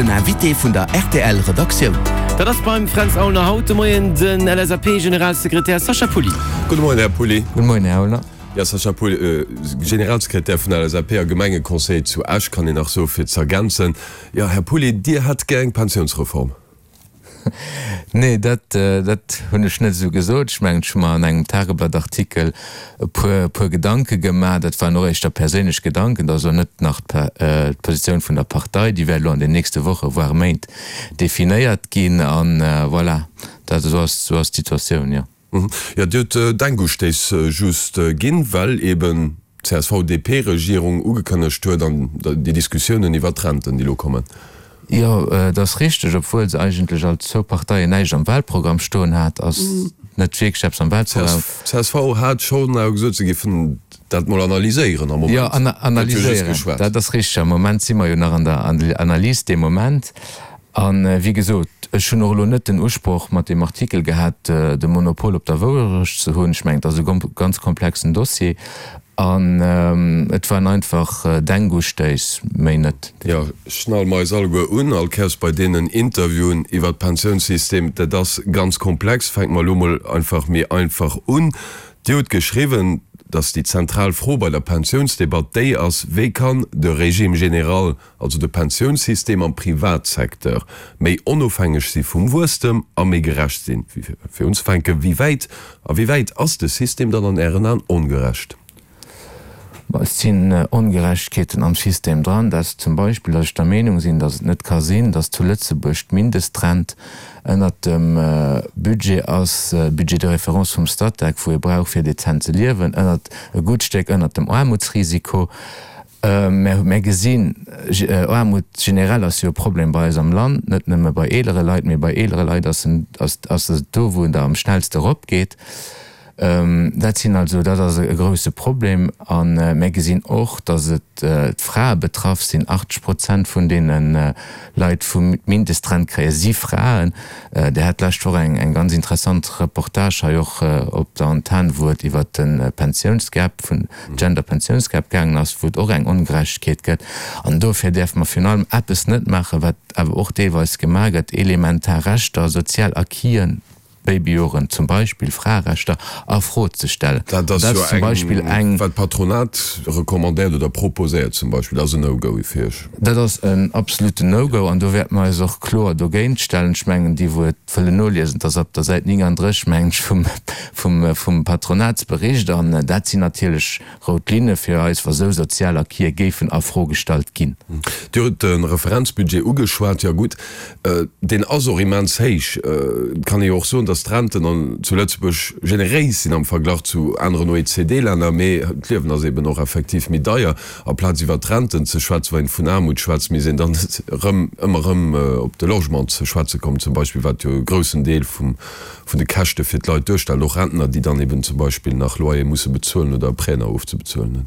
Den Invité vun der rtl Redaktioun. Dat ass beim Fränz Aulner haut de Moien den LSAP-Generalsekretär Sacha Pulli. Gudde Moien, Här Pulli. Gudde Moien, Här Aulner. Jo, Sacha Pulli, Generalsekretär vun der LSAP a Gemengeconseiller zu Esch, kann een nach soe fir z'ergänzen. Jo, Här Pulli, Dir hätt gär eng Pensiounsreform. Nee, dat, dat hunn ech net esou gesot. Ech mengen, ech hu mer an engem Tageblatt-Artikel e puer, e puer Gedanke gemaach. Dat waren och éischter perséinlech Gedanken. Dat ass elo net nach d'Positioun vun der Partei. Déi wäert elo an den nächste Woche, voire Méint definéiert ginn. An voilà, dat, esou ass, esou ass d'Situatioun, jo. Jo, Dir hutt Denkustéiss just ginn, well eben d'CSV-DP-Regierung ugekënnegt huet an déi Diskussiounen iwwert d'Renten, déi elo kommen. Jo, et ass richteg. Obwuel se eigentlech als zwou Parteien näischt am Wahlprogramm stoen hat, ass net wierklech eppes am Wahlprogramm. D'CSV hat schonn awer gesot, se géifen dat mol analyséieren. Am Moment gëtt jo just analyséieren, geschwat. Dat ass richteg. Am Moment si mer jo nach an der Analys dee Moment. A wéi gesot, ech hunn och elo net den Usproch mat deem Artikel gehat, de Monopol op der Wourecht ze hunn. Ech mengen, et ass e ganz komplexen Dossier an et waren einfach Denkustéiss, méi net. Jo, schnall mer eis alleguer un, all Kéiers bei deenen Interviewen iwwert d'Pensiounssystem. Dat ass ganz komplex. Fänke mer elo mol einfach méi einfach un. Dir hutt geschriwwen, datt déi zentral Fro bei der Pensiounsdebatt déi ass, Wéi kann de Régime général also de Pensiounssystem am Privatsecteur, méi onofhängeg si vum Wuesstem a méi gerecht sinn. Fir unzefänken, wéi wäit a wéi wäit ass de System dann an Ären Aen ongerecht? Ma et sinn Ongerechtegkeeten am System dran. Dat zum Beispill, datt ech der Meenung sinn, datt et net ka sinn, datt zu Lëtzebuerg d'Mindestrent ënnert dem Budget ass, Budget de référence vum Statec, wou ee brauch fir dezent ze liewen, ënnert, e gutt Stéck ënnert dem Aarmutsrisiko. Mä mir gesinn, Aarmut generell ass jo e Problem bei eis am Land, net nëmme bei eelere Leit, mee bei eelere Leit ass en, ass et do, wou en da am schnellste eropgeet. Dat sinn also, dat ass e grouse Problem. A mir gesinn och, datt et d'Frae betraff sinn. 80 Prozent vun deene Leit, wou d'Mindestrent kréien, si Fraen. Dir hat d'lescht Woch eng ganz interessant Reportage hei och op der Antenn, wou et iwwert de Pensiounsgap vun, Gender-Pensiounsgap gaangen ass, wou et och eng Ongerechtegkeet gëtt. An dofir däerfe mer virun allem eppes net maachen, wat awer och deelweis gemaach gëtt, elementar Rechter, sozial Acquisen, Babyjoren zum Beispill, Fraerechter a Fro ze stellen. Dat ass jo zum Beispill eng. Wat d'Patronat recommandéiert oder proposéiert zum Beispill, dat ass en No-Go fir Iech? Dat ass en absoluten No-Go an do wäerte mer eis och kloer dogéint stellen. Ech mengen, déi wou et wëllen noliesen, et ass op der Säit 39, mengen ech, vum, vum, vum Patronatsbericht. An dat sinn natierlech rout Linne fir eis, wa sou sozial Acquise géifen a Fro gestallt ginn. Dir hutt de Referenzbudget ugeschwat. Jo gutt, deen ass och immens héich. Et kann ee jo och soen, datt d'Renten an, zu Lëtzebuerg generéis sinn am Verglach zu aneren OECD-Länner. Mee d'Liewen ass eben och effektiv méi deier. Amplaz iwwer d'Renten ze schwätzen, wann een vun Aarmut schwätzt, misst een dann erëm, ëmmer erëm op de Logement ze schwätze kommen zum Beispill, wat jo e groussen Deel vum, vun de Käschte fir d'Leit duerstellt, och Rentner, déi dann eben zum Beispill nach Loyer musse bezuelen oder Prêt nach ofzebezuelen hunn.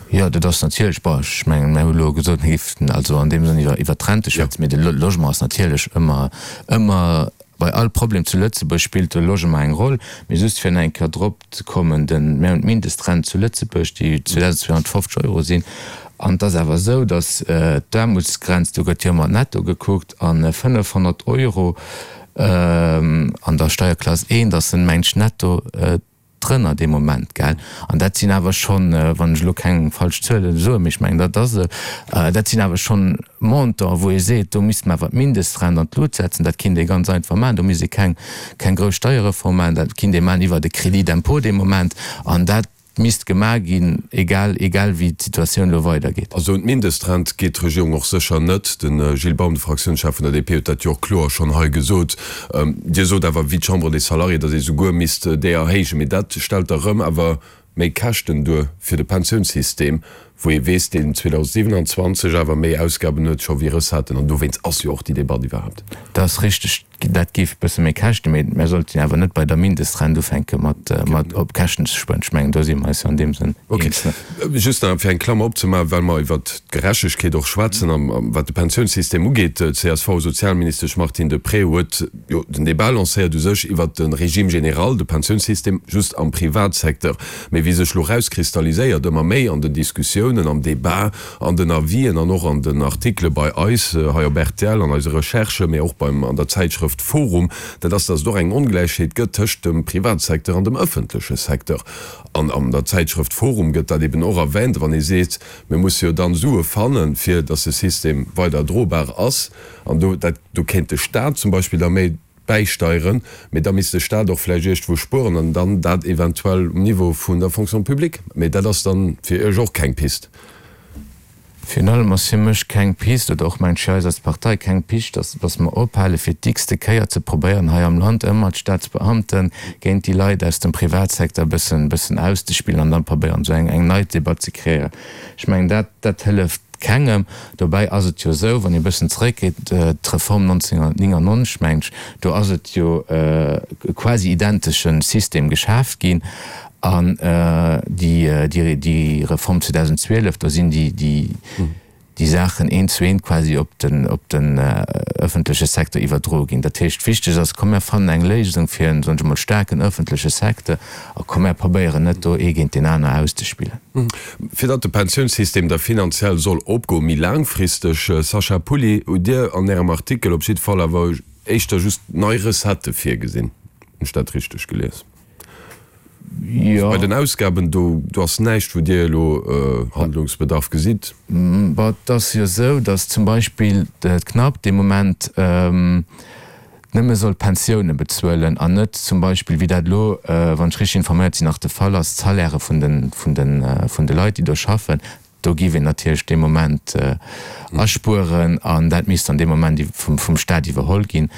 Jo, dat ass natierlech, bon, ech mengen, mir hu elo gesot, mir géifen also an deem Sënn iwwer, iwwer d'Rente schwätzen, mee de Logement ass natierlech ëmmer, ëmmer, bei all Problem zu Lëtzebuerg spillt de Logement eng Roll. Mee just fir nach eng Kéier drop ze kommen, den, mir hunn d'Mindestrent zu Lëtzebuerg, déi 2.250 Euro sinn, an et ass awer esou, datt d'Aarmutsgrenz, do gëtt jo ëmmer netto gekuckt, a 500 Euro an der Steierklass 1, ass en mengt netto drënner dee Moment, gell. An dat sinn awer schonn, wann ech elo keng falsch Zuele soen, mee ech mengen dat ass esou, dat sinn awer schonn Montanten, wou ee seet, do misste mer awer d'Mindestrent an d'Lut setzen. Dat kinnt ee ganz einfach maachen, do misst ee keng, keng grouss Steierreform maachen, dat kinnt ee maachen iwwert e Crédit d'impôt dee Moment. An dat misst gemaach ginn, egal, egal wéi d'Situatioun elo weidergeet. Also un d'Mindestrent geet d'Regierung och sécher net. De Gilles Baum, de Fraktiounschef vun der DP, huet dat jo och kloer schonn hei gesot. Dir sot awer, wéi d'Chambre des Salariés, datt ee souguer misst déi erhéijen. Mee dat stellt da rëm awer méi Käschten duer fir de Pensiounssystem, wou ee weess, deen 2027 awer méi Ausgaben huet scho wéi Recetten. An dowéinst ass jo och déi Debatt iwwerhaapt. Dat ass richteg. Dat géif e bësse méi käschten, mee mär sollten awer net bei der Mindestrent ufänke mat mat op Käschten ze spueren. Ech mengen, do si mer eis jo an deem Sënn eens, ne? Okay. Just nach fir eng Klammer opzemaachen, well mer iwwert d'Gerechtegkeet och schwätzen a wat de Pensiounssystem ugeet, D'CSV-Sozialministesch Martine Deprez huet jo den Débat lancéiert u sech iwwert de Régime général, de Pensiounssystem just am Privatsecteur. Mee wéi sech elo erauskristalliséiert ëmmer méi an den Diskussiounen. Diskussiounen, am Debat, an den Avisen an och an den Artikele bei eis hei op rtl, an eise Recherchen, mee och beim, an der Zäitschrëft forum, dat ass, dass et och eng Ongläichheet gëtt tëscht dem Privatsecteur an dem ëffentleche Secteur. An an der Zäitschrëft forum gëtt dat eben och erwähnt, wann ee seet, mir musse jo dann Sue fannen, fir dass de System weider drobar ass. An do, dat, do kéint de Stat zum Beispill da méi bäisteieren, mee da misst de Stat och vläicht iergendwou spueren an dann dat eventuell um Niveau vun der Fonction publique. Mee dat ass dann fir Iech och keng Pist. Virun allem ass fir mech keng Pist, oder och mengt ech eis als Partei keng Pist, dass, dass mer ophale fir d'x-te Kéier ze probéieren hei am Land ëmmer d'Staatsbeamte géint déi Leit aus dem Privatsecteur e bëssen, bëssen auszespillen an dann probéieren esou eng, eng nei Debatt ze kreéieren. Ech mengen dat, dat hëlleft kengem. Dobäi ass et jo esou, wann ee e bëssen zeréckgeet, d'Reform 1999, mengen ech, do ass et jo e quasi identesche System geschaaft ginn An déi Reform 2012, do sinn déi Saachen eent zu eent quasi op den ëffentleche Secteur iwwerdroe ginn. Dat heescht, wichteg ass, komm mär fannen eng Léisung fir en, soen ech emol, staarken ëffentleche Secteur a komm mär probéieren net do ee géint deen aner auszespillen. Fir datt de Pensiounssystem da finanziell soll opgoen, méi laangfristeg, Sacha Pulli, hutt Dir an Ärem Artikel op jidde Fall awer éischter just nei Recettë virgesinn. Hunn ech dat richteg gelies? Jo. Bei den Ausgaben, do do ass näischt, wou Dir elo Handlungsbedarf gesitt? Bon, et ass jo esou, datt zum Beispill d'Knapp dee Moment nëmme soll d'Pensioune bezuelen an net zum Beispill, wéi dat elo, wann ech richteg informéiert sinn, nach de Fall ass, d'Salairë vun de vun de vun de Leit, déi do schaffen. Do géif een natierlech dee Moment aspueren an dat misst dann dee Moment vum Staat iwwerholl ginn.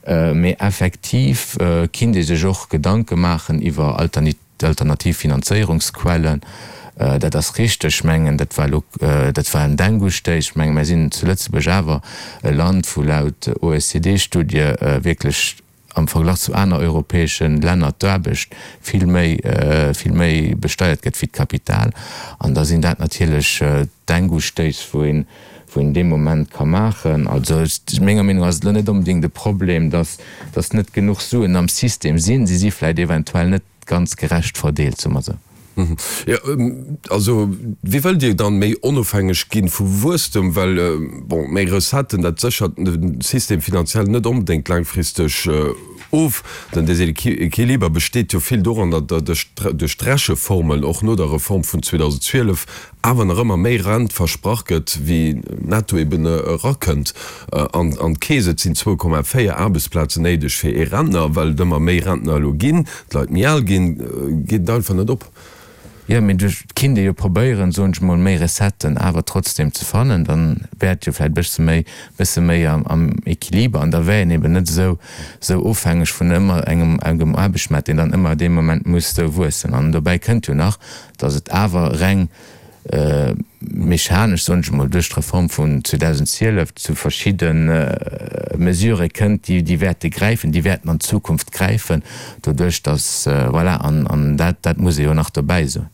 Mee effektiv kinnt ee sech och Gedanke maachen iwwer alternativ Finanzéierungsquellen. Dat ass richteg. Ech mengen, dat war elo, dat war en Denkustéiss. Ech mengen, mir sinn zu Lëtzebuerg awer e Land, wou laut OECD-Studie wierklech am Verglach zu aner europäesche Länner d'Aarbecht vill méi, vill méi besteiert gëtt wéi d'Kapital. An da sinn dat natierlech Denkustéiss, wou een, wou een dee Moment ka maachen. Also menger Meenung no ass et elo net onbedéngt e Problem, dass, dass net genuch Suen am System sinn. Si si vläicht eventuell net ganz gerecht verdeelt, soe mer esou. Jo, also wéi wëllt Dir dann méi onofhängeg ginn vu Wuesstem? Well, bon, méi Recetten, dat séchert de System finanziell net onbedéngt laangfristeg of. Den Deséquiliber besteet jo vill doran, datt duerch d'Recheformel och no der Reform vun 2012 awer nach ëmmer méi Rent versprach gëtt, wéi netto eben erakënnt an d'Keess. Et sinn 2,4 Aarbechtsplazen néideg fir ee Rentner. Well et ëmmer méi Rentner elo ginn, d'Leit méi al ginn, geet et einfach net op. Jo, mee do kinnt ee jo probéieren, soen ech mol, méi Recetten awer trotzdem ze fannen. Dann wär et jo vläicht bësse méi, bësse méi am Equiliber an da wär een eben net esou, esou ofhängeg vun ëmmer engem, engem Aarbechtsmaart, deen dann ëmmer dee Moment muss esou wuessen. An dobäi kënnt jo nach, datt et awer reng mechanesch, soen ech emol, duerch d'Reform vun 2012 zu verschidde Mesurë kënnt, déi déi wäerte gräifen, déi wäerten an Zukunft gräifen, doduerch datt, voilà, an an dat dat muss ee jo nach dobäi soen.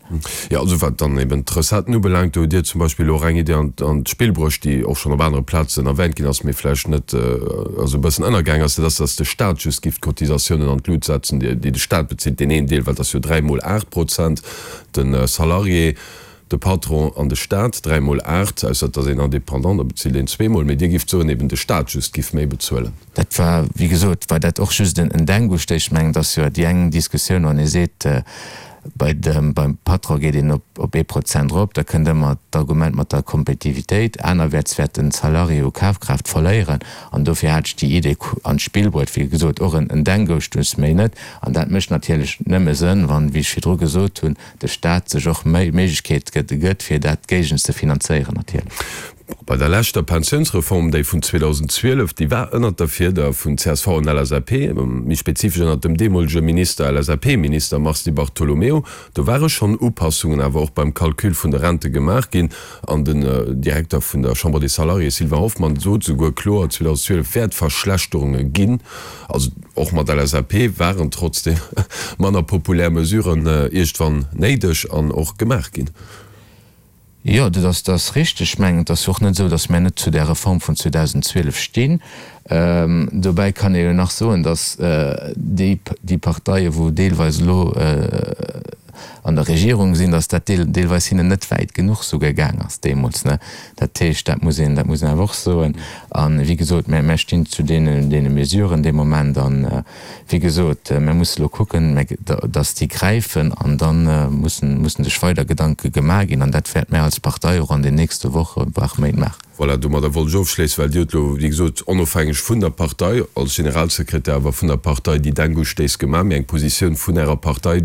Jo, also wat dann eben d'Recetten ubelaangt, do hutt Dir zum Beispill och eng Idee an an d'Spill bruecht, déi och schonn op anere Plazen erwähnt ginn ass, mee vläicht net, also e bëssen ënnergaang ass, dat ass, datt de Stat just giff d'Cotisatiounen an d'Lut setzen, déi de Stat bezilt, deen een Deel, well et ass jo dräimol 8 Prozent, De Salarié, de Patron an de Staat, dräimol 8, ausser et ass een Indépendant, da bezilt een zweemol. Mee Dir gifft soen, eben de Staat just giff méi bezuelen. Dat war, wéi gesot, war dat och just en Denkustéiss. Ech mengen, et ass jo déi eng Diskussioun, wann ee seet, bei dem, beim Patron geet een op, op ee Prozent erop, da kënnt ëmmer d'Argument mat der Kompetitivitéit. Anerwäerts wäert den Salarié u Kafkraaft verléieren. An dofir hat ech déi Idee an d'Spill bruet. Wéi gesot, och en Denkustéiss, méi net. An dat mécht natierlech nëmme Sënn, wann, wéi ech virdru gesot hunn, de Stat sech och méi Méiglechkeet gëtt, fir dat géigen ze finanzéieren natierlech. Bei der leschter Pensiounsreform, déi vun 2012, déi war ënnert der Fieder vun csv an LSAP, méi spezifesch ënnert dem deemolege Minister, LSAP-Minister Mars Di Bartolomeo, do ware schonn Upassungen awer och beim Calcul vun de Rente gemaach ginn. An den Direkter vun der Chambre des Salariés, Sylvain Hoffmann, sot souguer kloer, 2012 wäert Verschlechterunge ginn. Also och mat LSAP waren trotzdeem manner populär Mesuren iergendwann néideg an och gemaach ginn. Jo, dat ass, dat ass richteg. Ech mengen, et ass jo och net esou, datt mär net zu där Reform vun 2012 stinn. Dobäi kann ee jo nach soen, datt déi, déi Parteien, wou deelweis elo. an der Regierung sinn, datt dat deelweis hinnen net wäit genuch souguer gaang ass deemools, ne. Dat heescht, dat muss een, dat muss een awer och soen. A wéi gesot, mä mär stinn zu deenen, deene Mesuren dee Moment. An wéi gesot, mär musse elo kucken, mä datt déi gräifen an da mussen, mussen sech weider Gedanke gemaach ginn. An dat wäerte mär als Partei och an den nächste Wochen, voire Méint maachen. Voilà, domadder wollt ech ofschléissen, well Dir hutt elo, wéi gesot, onofhängeg vun der Partei, als Generalsekretär awer vun der Partei déi Denkustéiss gemaach, mee eng Positioun vun Ärer Partei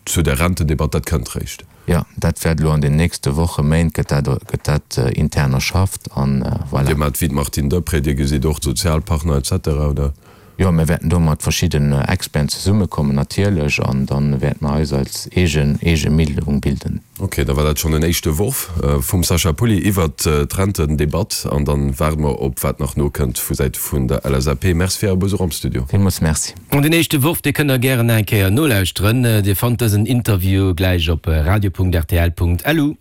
zu der Rentendebatt, dat kënnt réischt. Jo, dat wäert elo an den nächste Wochen, Méint gëtt dat, gëtt dat intern erschafft an voilà. Dir maacht wéi d'Martine Deprez, Dir gesitt och d'Sozialpartner et cetera, oder? Jo, mir wäerten do mat verschidden Experten zesummekommen natierlech an da wäerte mer eis als eegen, eege Meenung bilden. Ok, da war dat schonn en éischte Worf vum Sacha Pulli iwwert d'Rentendebatt an dann waarde mer op wat nach nokënnt vu Säite vun der LSAP. Merci fir Äre Besuch am Studio. Villmools Merci. An den éischte Worf, dee kënnt der gären nach eng Kéier nolauschteren. Dir fannt dësen Interview gläich op radio.rtl.lu.